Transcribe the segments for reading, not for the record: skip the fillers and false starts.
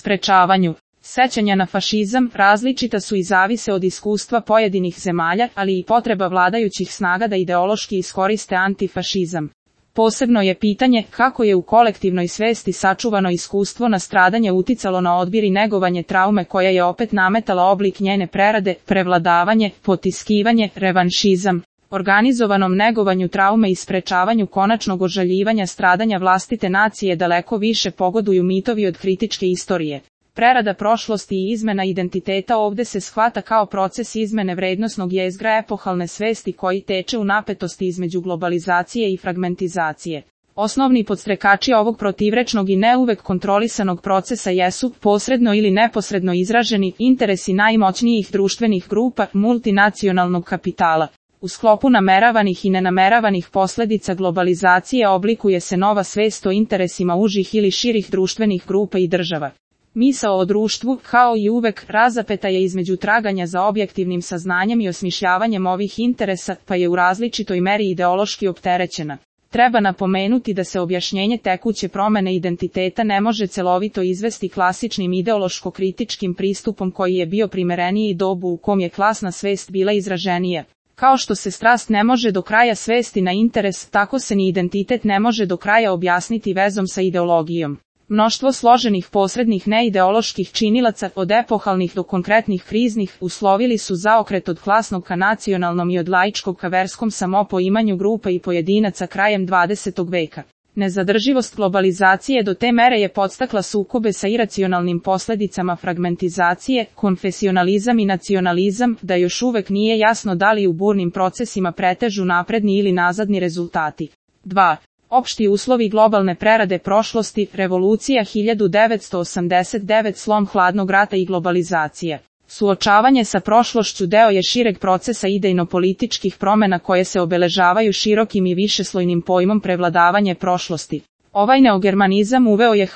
sprečavanju sećanja na fašizam različita su i zavise od iskustva pojedinih zemalja, ali i potreba vladajućih snaga da ideološki iskoriste antifašizam. Posebno je pitanje kako je u kolektivnoj svesti sačuvano iskustvo na stradanje uticalo na odbir i negovanje traume koja je opet nametala oblik njene prerade, prevladavanje, potiskivanje, revanšizam. Organizovanom negovanju traume i sprečavanju konačnog ožaljivanja stradanja vlastite nacije daleko više pogoduju mitovi od kritičke istorije. Prerada prošlosti i izmena identiteta ovde se shvata kao proces izmene vrednosnog jezgra epohalne svesti koji teče u napetosti između globalizacije i fragmentizacije. Osnovni podstrekači ovog protivrečnog i ne uvek kontrolisanog procesa jesu, posredno ili neposredno izraženi, interesi najmoćnijih društvenih grupa, multinacionalnog kapitala. U sklopu nameravanih i nenameravanih posledica globalizacije oblikuje se nova svest o interesima užih ili širih društvenih grupa i država. Misao o društvu, kao i uvek, razapeta je između traganja za objektivnim saznanjem i osmišljavanjem ovih interesa, pa je u različitoj meri ideološki opterećena. Treba napomenuti da se objašnjenje tekuće promene identiteta ne može celovito izvesti klasičnim ideološko-kritičkim pristupom koji je bio primereniji dobu u kom je klasna svest bila izraženija. Kao što se strast ne može do kraja svesti na interes, tako se ni identitet ne može do kraja objasniti vezom sa ideologijom. Mnoštvo složenih posrednih neideoloških činilaca, od epohalnih do konkretnih kriznih, uslovili su zaokret od klasnog ka nacionalnom i od laičkog ka verskom samopoimanju grupa i pojedinaca krajem 20. veka. Nezadrživost globalizacije do te mere je podstakla sukobe sa iracionalnim posledicama fragmentizacije, konfesionalizam i nacionalizam, da još uvek nije jasno da li u burnim procesima pretežu napredni ili nazadni rezultati. 2. Opšti uslovi globalne prerade prošlosti, revolucija 1989, slom hladnog rata i globalizacija. Suočavanje sa prošlošću deo je šireg procesa idejno-političkih promena koje se obeležavaju širokim i višeslojnim pojmom prevladavanje prošlosti. Ovaj neogermanizam uveo je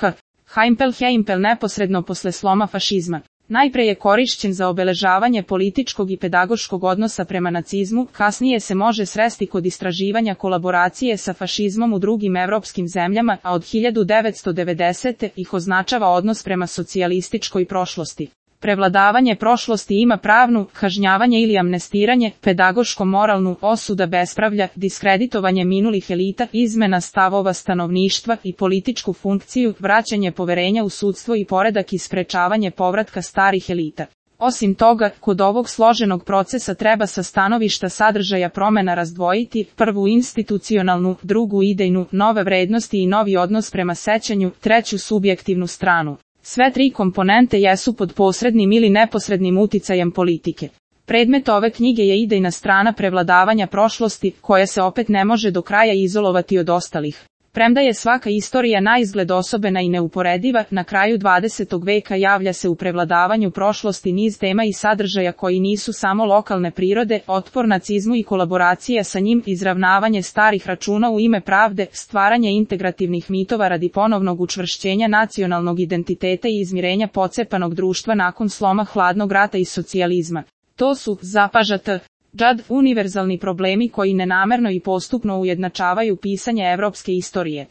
Heimpel neposredno posle sloma fašizma. Najpre je korišćen za obeležavanje političkog i pedagoškog odnosa prema nacizmu, kasnije se može sresti kod istraživanja kolaboracije sa fašizmom u drugim evropskim zemljama, a od 1990. ih označava odnos prema socijalističkoj prošlosti. Prevladavanje prošlosti ima pravnu, kažnjavanje ili amnestiranje, pedagoško-moralnu, osuda bespravlja, diskreditovanje minulih elita, izmena stavova stanovništva i političku funkciju, vraćanje poverenja u sudstvo i poredak i sprečavanje povratka starih elita. Osim toga, kod ovog složenog procesa treba sa stanovišta sadržaja promena razdvojiti, prvu institucionalnu, drugu idejnu, nove vrednosti i novi odnos prema sećanju, treću subjektivnu stranu. Sve tri komponente jesu pod posrednim ili neposrednim uticajem politike. Predmet ove knjige je idejna strana prevladavanja prošlosti, koja se opet ne može do kraja izolovati od ostalih. Premda je svaka istorija naizgled osobena i neuporediva, na kraju 20. veka javlja se u prevladavanju prošlosti niz tema i sadržaja koji nisu samo lokalne prirode, otpor nacizmu i kolaboracija sa njim, izravnavanje starih računa u ime pravde, stvaranje integrativnih mitova radi ponovnog učvršćenja nacionalnog identiteta i izmirenja pocepanog društva nakon sloma hladnog rata i socijalizma. To su, zapažate, univerzalni problemi koji nenamerno i postupno ujednačavaju pisanje evropske istorije.